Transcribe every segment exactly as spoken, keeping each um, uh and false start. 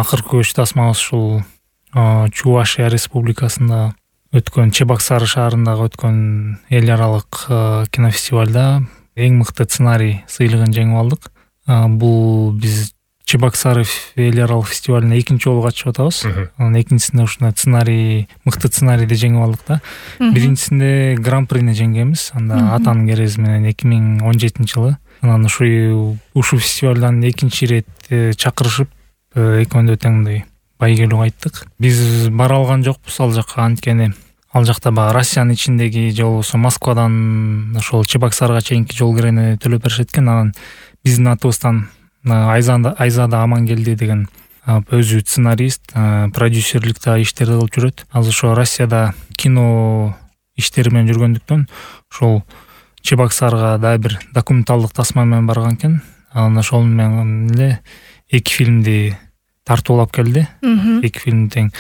акыркы көч тасмабыз ушул Чувашия Республикасында өткөн Чебоксары шаарындагы өткөн эл аралык кинофестивалда эң мыкты сценарий сыйлыгын жеңип алдык. Бул биз Чебоксары эл аралык фестивалына экинчи жолу катышып атабыз. Анан экинчисинде ушундай сценарий, мыкты сценарийди жеңип алдык да. Биринчисинде гран-прини жеңгенбиз. Анда Атанын керези менен эки миң он жетинчи жылы. Анан ушу ушул фестивалдан экинчи ирет чакырышып, экөөндө тең мындай байгелүү кайттык. Биз бара алган жокпуз ал жакка, анткени ал жакта баягы Россиянын ичиндеги же болбосо Москвадан ошол Чебоксарга чейинки жол кирени төлөп беришет экен. Анан биздин атыбыздан Айзада Амангелди деген өзү сценарист, продюсерликте иштерди кылып жүрөт. Азыр ошо Россияда кино иштери менен жүргөндүктөн ошол Чебоксарга дагы бир документалдык тасма менен барган экен. Анан ошол менен эле эки фильмди тартып алып келди. Эки фильм тең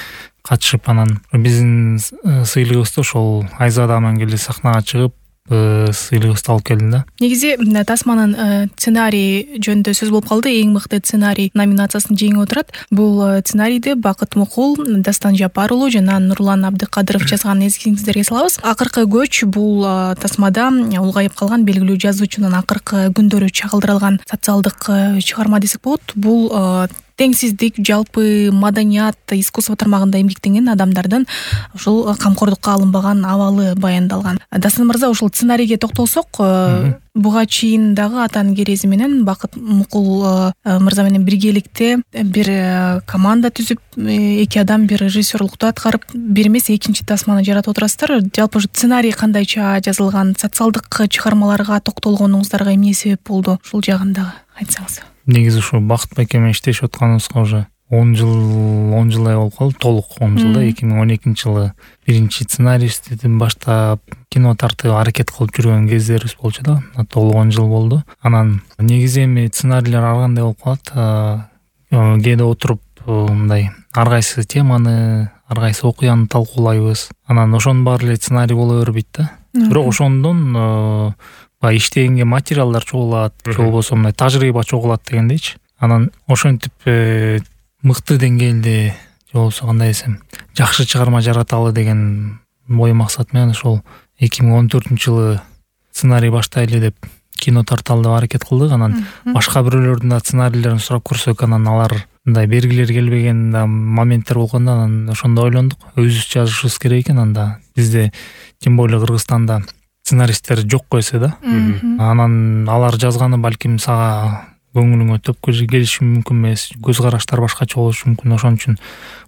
катышып, анан биздин сыйлыгыбызды ошол Айзада Амангелди сахнага чыгып сыйлыгыбызды алып келди да. Негизи тасманын сценарий жөнүндө сөз болуп калды. Эң мыкты сценарий номинациясын жеңип отурат. Бул сценарийди Бакыт Мукул, Дастан Жапар уулу жана Нурлан Абдыкадыров жазганын эсиңиздерге салабыз. Акыркы көч бул тасмада улгайып калган белгилүү жазуучунун акыркы күндөрү чагылдырылган социалдык чыгарма десек болот. Бул теңсиздик, жалпы маданият, искусство тармагында эмгектенген адамдардын ушул камкордукка алынбаган абалы баяндалган. Дастан мырза, ушул сценарийге токтолсок, буга чейин дагы Атанын керези менен Бакыт Мукул мырза менен биргеликте бир команда түзүп, эки адам бир режиссерлукту аткарып, бир эмес экинчи тасманы жаратып отурасыздар. Жалпы ушу сценарий кандайча жазылган, социалдык чыгармаларга токтолгонуңуздарга эмне себеп болду? Ушул жагын дагы айтсаңыз. Негизи ушу Бакыт байке менен иштешип атканыбызга уже он жыл он жылдай болуп калды, толук он жылда. эки миң он экинчи жылы биринчи сценаристтен баштап кино тартып аракет кылып жүргөн кездерибиз болчу да. Толук он жыл болду. Анан негизи эми сценарийлер ар кандай болуп калат. Кээде отуруп мындай ар кайсы теманы, ар кайсы окуяны талкуулайбыз. Анан ошонун баары эле сценарий боло бербейт да. Бирок ошондон баягы иштегенге материалдар чогулат, же болбосо мындай тажрыйба чогулат дегендейчи. Анан ошентип мыкты деңгээлде, же болбосо кандай десем, жакшы чыгарма жараталы деген ой максат менен ошол эки миң он төртүнчү жылы сценарий баштайлы деп кино тарталы деп аракет кылдык. Анан башка бирөөлөрдүн да сценарийлерин сурап көрсөк, анан алар мындай бергилери келбеген да моменттер болгондо, анан ошондо ойлондук, өзүбүз жазышыбыз керек экен. Анда бизде, тем более Кыргызстанда сценаристтер жокко эсе да. Анан алар жазганы балким сага көңүлүңө төп келиши мүмкүн эмес, көз караштар башкача болушу мүмкүн. Ошон үчүн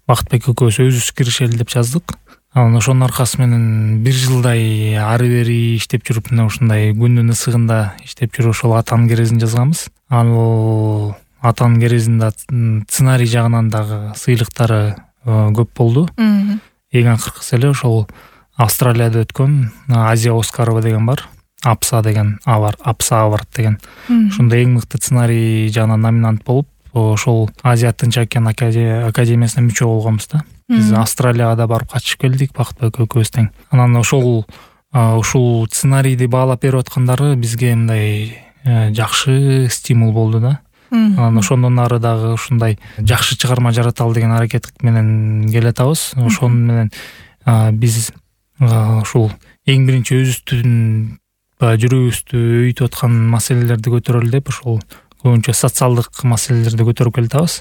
Бакытбек экөөбүз өзүбүз киришели деп жаздык. Анан ошонун аркасы менен бир жылдай ары бери иштеп жүрүп, мына ушундай күндүн ысыгында иштеп жүрүп ошол Атанын керезин жазганбыз. Ал Атанын керезинде сценарий жагынан дагы сыйлыктары көп болду. Эң акыркысы эле ошол Австралияда өткөн Азия Оскарова деген бар. Апса деген авар, Апса авард деген. Ошондо эң мыкты сценарий жагынан номинант болуп, ошол Азия Тынч океан академиясына мүчө болгонбуз да. Биз Австралияга да барып катышып келдик, Бакытбек экөөбүз тең. Анан ошол ушул сценарийди баалап берип аткандары бизге мындай жакшы стимул болду да. Анан ошондон ары дагы ушундай жакшы чыгарма жараталы деген аракет менен келатабыз. Ошон менен биз ушул эң биринчи өзүбүздүн жүрөгүбүздү өйүтүп аткан маселелерди көтөрөлү деп ошол көбүнчө социалдык маселелерди көтөрүп келатабыз.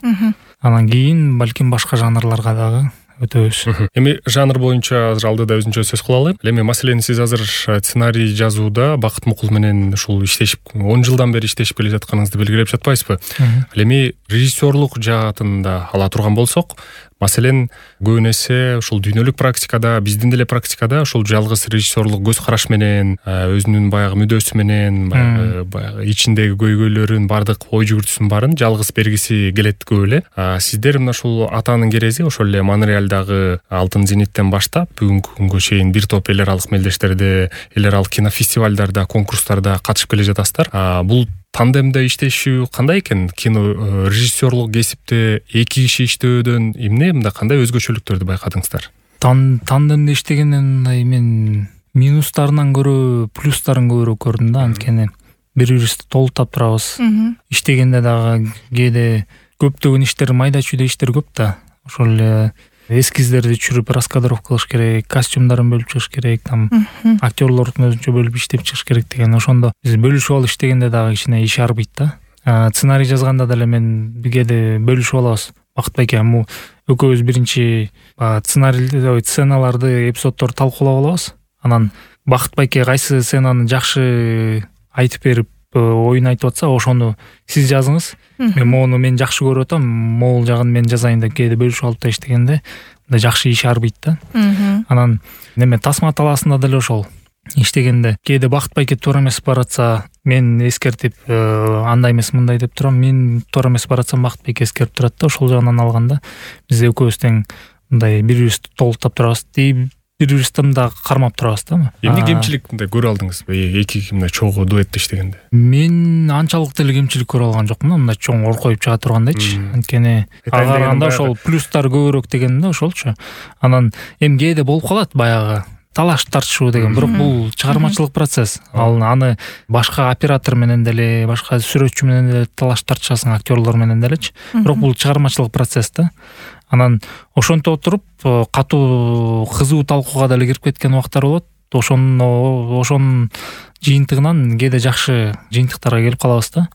Анан кийин балким башка жанрларга дагы өтөбүз. Эми жанр боюнча азыр алдыда өзүнчө сөз кыла алайм. Эми маселени сиз азыр сценарий жазууда Бакыт Мукул менен ушул иштешип он жылдан бери иштешип келе жатканыңызды белгилеп жатпайсызбы? Ал эми режиссерлук жаатында ала турган болсок, маселен, көбүн эсе ушул дүйнөлүк практикада, биздин деле практикада ушул жалгыз режиссерлук көз караш менен, өзүнүн баягы мүдөөсү менен, баягы ичиндеги көйгөйлөрүн, бардык ой жүгүртүүсүн баарын жалгыз бергиси келет көп эле. Сиздер мына ушул Атанын керези, ошол эле Монреалдагы Алтын зениттен баштап бүгүнкү күнгө чейин бир топ эл аралык мелдештерде, эл аралык кинофестивалдарда, конкурстарда катышып келе жатасыздар. Бул тандемде иштешүү кандай экен? Кино режиссерлук кесипте эки киши иштөөдөн эмне мындай кандай өзгөчөлүктөрдү байкадыңыздар? Тандемде иштегенден мындай мен минустарынан көрө плюстарын көбүрөөк көрдүм да, анткени бири-бирибизди толуктап турабыз. Иштегенде дагы кээде көптөгөн иштер, майда чүйдө иштер көп да. Ошол эле эскиздерди түшүрүп раскадровка кылыш керек, костюмдарын бөлүп чыгыш керек, там актерлордун өзүнчө бөлүп иштеп чыгыш керек деген. Ошондо биз бөлүшүп алып иштегенде дагы кичине иш арбыйт да. Сценарий жазганда деле мен кээде бөлүшүп алабыз. Бакыт байке, му экөөбүз биринчи сценарийди, сценаларды, эпизоддорду талкуулап алабыз. Анан Бакыт байке кайсы сценаны жакшы айтып берип, оюн айтып атса, ошону сиз жазыңыз. Мен моуну мен жакшы көрүп атам, могул жагын мен жазайын деп кээде бөлүшүп алып да иштегенде мындай жакшы иш арбыйт да. Анан неме тасма талаасында деле ошол иштегенде кээде Бакыт байке туура эмес баратса, мен эскертип, андай эмес мындай деп турам. Мен туура эмес баратсам, Бакыт байке эскерип турат да. Ошол жагынан алганда биз экөөбүз тең мындай бири-бирибизди толуктап турабыз, бири-бирибизди да кармап турабыз да. Эмне кемчилик мындай көрө алдыңыз эки мындай чогуу дуэтте иштегенде? Мен анчалык деле кемчилик көрө алган жокмун, мындай чоң оркоюп чыга тургандайчы. Анткени ага караганда ошол плюстар көбүрөөк деген да, ошолчу. Анан эми кээде болуп калат баягы талаш тартышуу деген, бирок бул чыгармачылык процесс. Ал аны башка оператор менен деле, башка сүрөтчү менен деле талаш тартышасың, актерлор менен делечи. Бирок бул чыгармачылык процесс да. Анан ошентип отуруп катуу кызуу талкууга деле кирип кеткен убактар болот. Ошону ошонун жыйынтыгынан кээде жакшы жыйынтыктарга келип калабыз да.